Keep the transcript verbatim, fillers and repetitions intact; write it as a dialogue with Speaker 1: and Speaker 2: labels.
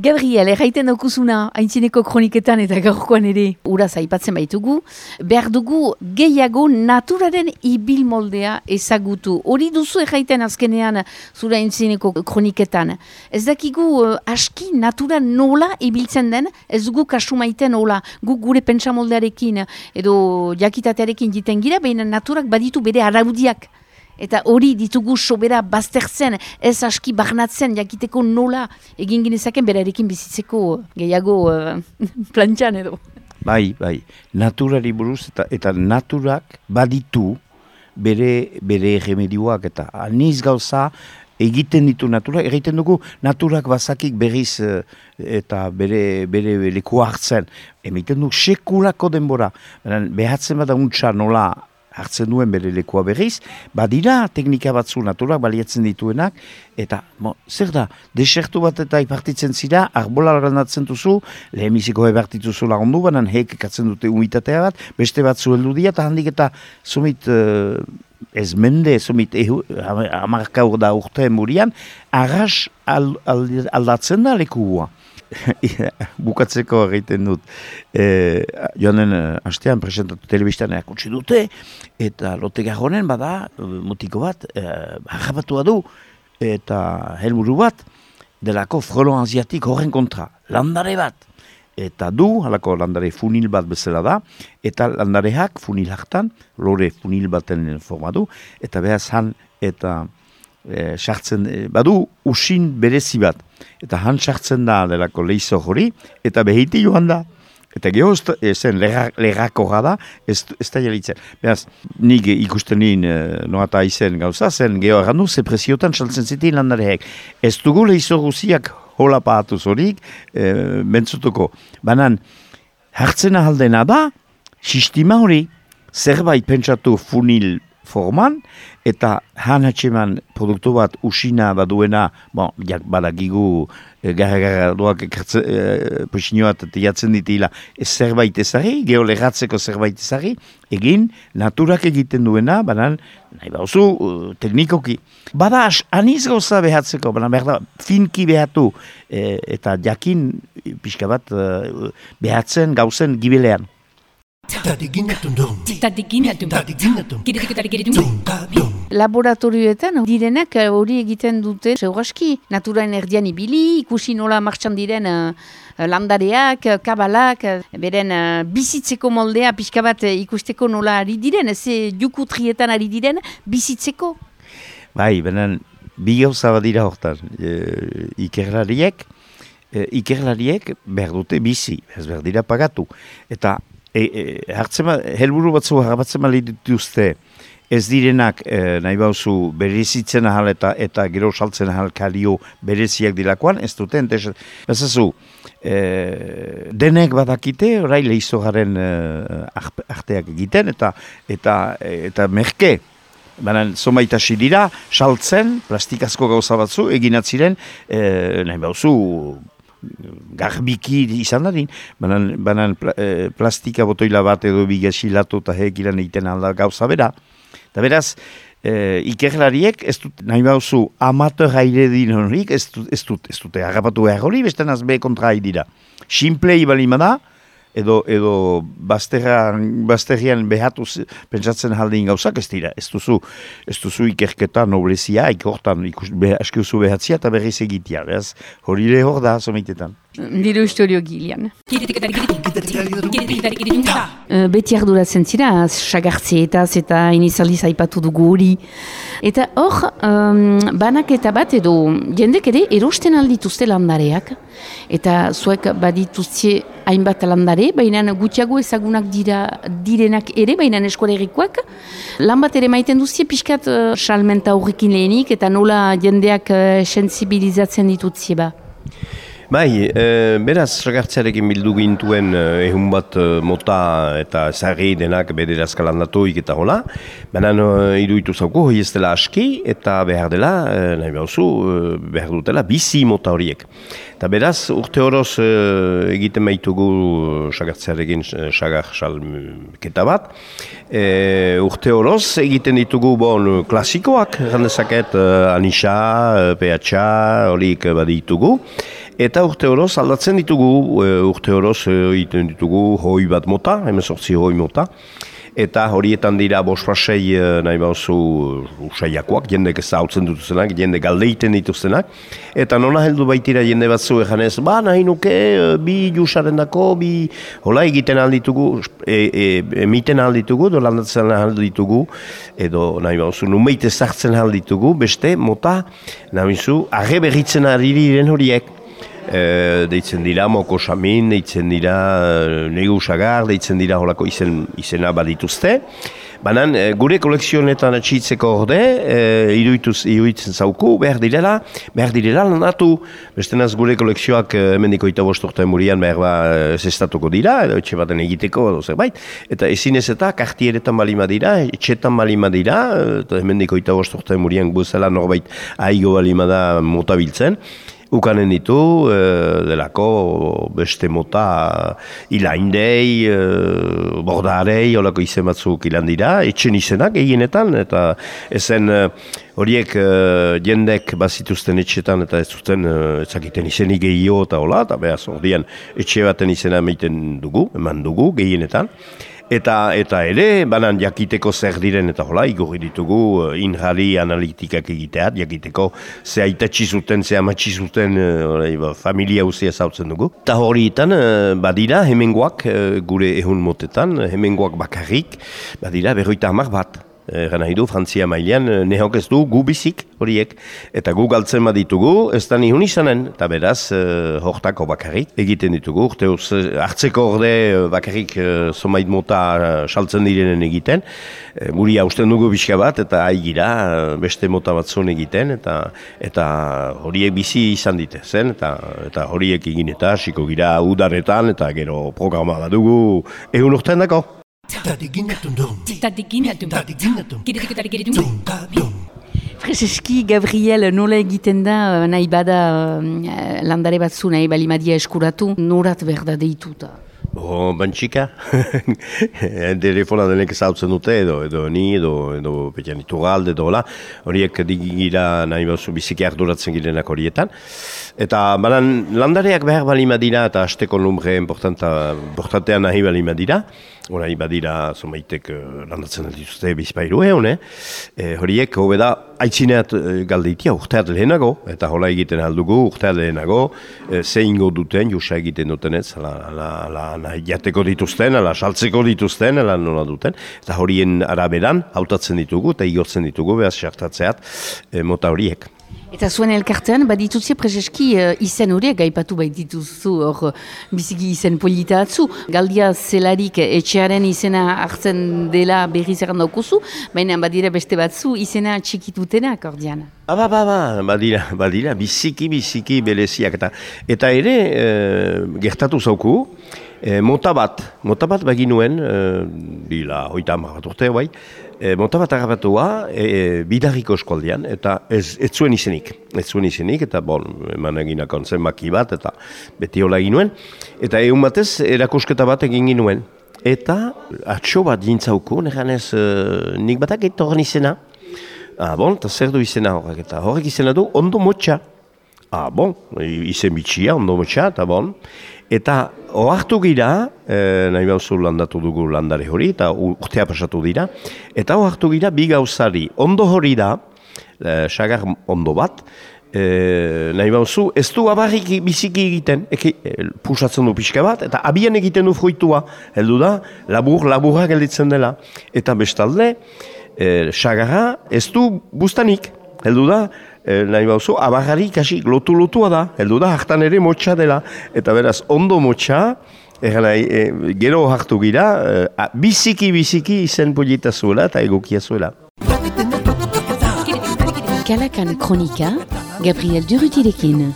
Speaker 1: Gabriel, erraiten daukuzuna, haintzineko kroniketan eta gaurkoan ere uraz aipatzen baitugu, behar dugu gehiago naturaren ibil moldea ezagutu. Hori duzu erraiten azkenean zura haintzineko kroniketan. Ez dakigu uh, aski natura nola ibiltzen den, ez dugu kasu maiten nola, gu gure pentsamoldearekin edo jakitatearekin jiten gira, baina naturak baditu bere araudiak. Eta hori ditugu sobera baztertzen, ez aski barnatzen, jakiteko nola egin ginezaken berarekin bizitzeko gehiago uh, plantxan edo.
Speaker 2: Bai, bai, naturari buruz eta, eta naturak baditu bere, bere remedioak eta aniz gauza egiten ditu natura, egiten dugu naturak bazakik berriz uh, eta bere, bere lekua hartzen. Emiten du sekulako denbora, behatzen bada untxa nola hartzen duen bere lekua berriz, badira teknika batzu naturak baliatzen dituenak, eta mo, zer da, desertu bat eta ipartitzen zira, arbola grandatzen duzu, lehenbiziko ebertituzu lagundu, banan hek ekatzen dute umitatea bat, beste batzu heldu dira, eta handik eta sumit uh, ez mende, sumit hamarka da urte murian, arras al, al, aldatzen da lekua. Bukatzeko egiten dut e, joanen hastean presentatu telebistan erakutsi dute eta lote garronen bada mutiko bat e, harrapatua du eta helburu bat delako frelon asiatik horren kontra landare bat eta du, halako landare funil bat bezala da eta landareak funil hartan lore funil baten forma du eta behaz han eta E, sartzen, e, badu usin berezi bat, eta han sartzen da delako leizo hori, eta behiti joan da, eta geho zen lerrako da, ez, ez da jalitzen. Beraz, nik ikusten nien e, noata izen gauza, zen geho errandu, ze presiotan saltzen zitin landareek. Ez dugu leizo guziak hola pahatuz horik, e, bentzutuko. Banan, hartzen ahaldena da, sistema hori, zerbait pentsatu funil forman, eta han hatxeman produktu bat usina baduena, bon, jak badakigu e, gara-gara doak ekartze, e, posinoat tiatzen ditila ez zerbait ezari, geolegatzeko zerbait ezari, egin naturak egiten duena, banan, nahi bauzu, uh, teknikoki. Bada, aniz gauza behatzeko, banan, behar da, finki behatu, e, eta jakin pixka bat uh, behatzen gauzen gibelean.
Speaker 1: Laboratorioetan direnak hori egiten dute segurazki naturaren erdian ibili, ikusi nola martxan diren uh, landareak, kabalak, beren uh, bizitzeko moldea pixka bat ikusteko nola ari diren, ez juku trietan ari diren bizitzeko.
Speaker 2: Bai, benen bi gauza badira hortan, e, ikerlariek, e, ikerlariek behar dute bizi, ez behar dira pagatu, eta E, e, hartzema, helburu batzu harrapatzen mali dituzte ez direnak e, nahi bauzu berezitzen ahal eta, eta gero saltzen ahal kalio bereziak dilakoan, ez dute, entes, bezazu, e, denek badakite, orai lehizogaren e, arteak egiten, eta eta, eta merke, baina zomaitasi dira, saltzen, plastikazko gauza batzu, eginatziren, e, nahi bauzu, garbiki izan dadin, banan, banan pla, e, plastika botoila bat edo bigasilatu eta hekiran egiten alda gauza bera. Eta beraz, e, ikerlariek ez dut, nahi bauzu, amateur aire din horik, ez dut, ez dut, ez dute harrapatu behar hori, beste nazbe kontra dira. Simplei balima da, edo, edo bazterrian behatu pentsatzen jaldin gauzak ez dira. Ez duzu, ez duzu ikerketa noblezia, ikortan aski duzu behatzia eta berriz egitea. Beraz, hori le hor da, someitetan.
Speaker 1: Diru historio Gilian. Beti arduratzen zira, sagartzeetaz eta inizaliz aipatu dugu hori. Eta hor, um, banak eta bat edo jendek ere erosten aldituzte landareak. Eta zuek badituzte hainbat landare, baina gutxiago ezagunak dira direnak ere, baina eskolerikoak. Lan bat ere maiten duzte pixkat uh, salmenta horrekin lehenik eta nola jendeak uh, sensibilizatzen ditutzie ba.
Speaker 3: Bai, e, beraz, sagartzearekin bildu gintuen ehun bat e, mota eta ezagri denak bederazka landatuik eta hola. Baina e, iruditu zauku, hoi ez dela aski eta behar dela, e, nahi behuzu, e, behar dutela bizi mota horiek. Eta beraz, urte horoz e, egiten baitugu sagartzearekin sagar salketa bat. E, urte horoz egiten ditugu bon klasikoak, errandezaket, e, Anisa, P H A, horiek baditugu. Eta urte horoz aldatzen ditugu, urte horoz egiten ditugu hoi bat mota, hemezortzi hoi mota. Eta horietan dira bosfasei nahi bauzu usaiakoak, jendek ez hautzen dituzenak, jende galdeiten dituztenak. Eta nona heldu baitira jende batzu eganez, ba nahi nuke bi jusaren dako, bi hola egiten alditugu, e, e, emiten alditugu, do landatzen alditugu, edo nahi bauzu numeit ezartzen alditugu, beste mota, nahi bauzu, arre berritzen ari diren horiek. E, deitzen dira moko samin, deitzen dira negu sagar, deitzen dira holako izen, izena badituzte. Banan, gure kolekzionetan atxitzeko orde, e, iruditzen zauku, behar direla, behar direla landatu. Bestenaz gure kolekzioak emendiko eta bosturten murian behar ba zestatuko dira, edo etxe baten egiteko, edo zerbait. Eta ezin ez eta kartieretan balima dira, etxetan balima dira, eta emendiko eta bosturten murian guzela norbait aigo balima da mota biltzen. Ukanen ditu, e, delako beste mota ilaindei, e, bordarei, holako izen batzuk ilan dira, etxen izenak egienetan, eta ezen horiek e, jendek bazituzten etxetan eta ez zuten ezakiten izenik gehio eta hola, eta behaz ordian etxe baten izena emaiten dugu, eman dugu gehienetan. Eta, eta ere, banan jakiteko zer diren eta hola, igorri ditugu injari analitikak egiteat, jakiteko ze aitatxi zuten, ze amatxi zuten uh, familia uzia zautzen dugu. Eta horietan, uh, badira, hemengoak, uh, gure ehun motetan, hemengoak bakarrik, badira, berroita hamar bat. Egan nahi du, Frantzia mailean, nehok ez du gu bizik horiek. Eta gu galtzen baditugu, ez da nihun izanen. Eta beraz, uh, hortako bakarrik egiten ditugu. Urte hartzeko orde bakarrik uh, zomait mota uh, saltzen direnen egiten. Uh, Guri hausten dugu bizka bat, eta haigira uh, beste mota batzun egiten. Eta eta horiek bizi izan dite zen. Eta, eta horiek egin eta hasiko gira udaretan, eta gero programa badugu egun urtean dako.
Speaker 1: Freseski, Gabriel, nola egiten da, nahi bada landare batzu, nahi balimadia eskuratu, norat berda deituta?
Speaker 3: Bo, bantxika, telefona denek ezautzen dute, edo, edo ni, edo, edo petian iturralde, edo hola, horiek digira nahi bauzu biziki arduratzen girenak horietan. Eta banan landareak behar balima dira, eta hasteko lumbre importantean nahi balima dira, horai badira zomaitek landatzen dituzte bizpairu egon, eh? E, horiek hobe da aitzineat galdeitia urteat lehenago, eta hola egiten aldugu urteat lehenago, e, ze ingo duten, jusa egiten dutenez, ala, ala, ala, ala jateko dituzten, ala saltzeko dituzten, ala nola duten, eta horien araberan hautatzen ditugu, eta igortzen ditugu, behaz sartatzeat e, mota horiek.
Speaker 1: Eta zuen elkartean, badituzia prezeski uh, izen horiek, gaipatu baitituzu hor biziki izen polita atzu. Galdia zelarik etxearen izena hartzen dela berriz erran daukuzu, baina badira beste batzu izena txikitutenak ordean.
Speaker 3: Aba, ba, ba, badira, badira, biziki, biziki beleziak. Eta, eta ere, e, gertatu zauku, e, mota bat, mota bat baginuen, e, bila, hoita hamar bat urte, bai, E, mota bat agabatua e, e, bidarriko eskualdean, eta ez, ez zuen izenik. Ez zuen izenik, eta bon, eman eginakon zenbaki bat, eta beti hola egin nuen. Eta egun batez, erakusketa bat egin ginuen. Eta atxo bat jintzauku, neganez e, nik batak eta horren izena. Ah, bon, eta zer du izena horrek, eta horrek izena du ondo motxa. Ah, bon, izen bitxia, ondo motxa, eta bon. Eta ohartu gira, e, nahi bauzu landatu dugu landare hori, eta urtea pasatu dira, eta ohartu gira bi gauzari. Ondo hori da, e, sagar ondo bat, e, nahi bauzu, ez du abarrik biziki egiten, eki, e, pusatzen du pixka bat, eta abian egiten du fruitua, heldu da, labur, laburra gelditzen dela. Eta bestalde, e, sagarra ez du bustanik, heldu da, E, nahi bauzu, abarrari kasi lotu-lotua da, heldu da, hartan ere motxa dela. Eta beraz, ondo motxa, e, e, gero hartu gira, e, biziki-biziki izen polita zuela eta egokia zuela.
Speaker 1: Kalakan Kronika, Gabriel Durrutirekin.